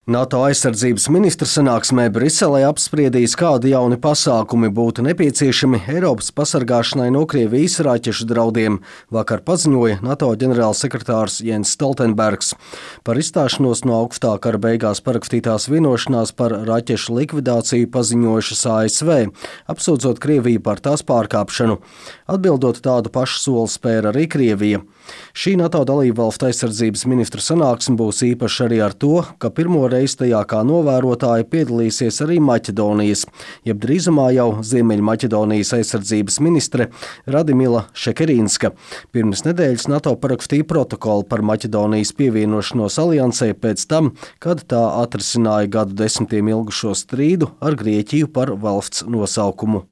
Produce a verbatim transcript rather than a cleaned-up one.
NATO aizsardzības ministru sanāksmē Briselē apspriedīs, kādi jauni pasākumi būtu nepieciešami Eiropas pasargāšanai no Krievijas raķešu draudiem, vakar paziņoja NATO ģenerālsekretārs Jens Stoltenbergs. Par izstāšanos no augstā kara beigās parakstītās vienošanās par raķešu likvidāciju paziņojušas A S V, apsūdzot Krieviju par tās pārkāpšanu. Atbildot, tādu pašu soli spēra arī Krievija. Šī NATO dalībvalstu aizsardzības ministru sanāksme būs īpaša arī ar to, ka pirmo reizi tajā kā novērotāji piedalīsies arī Maķedonijas, jeb drīzumā jau Ziemeļmaķedonijas aizsardzības ministre Radimila Šekerīnska. Pirms nedēļas NATO parakstīja protokolu par Maķedonijas pievienošanos aliansē pēc tam, kad tā atrisināja gadu desmitiem ilgušo strīdu ar Grieķiju par valsts nosaukumu.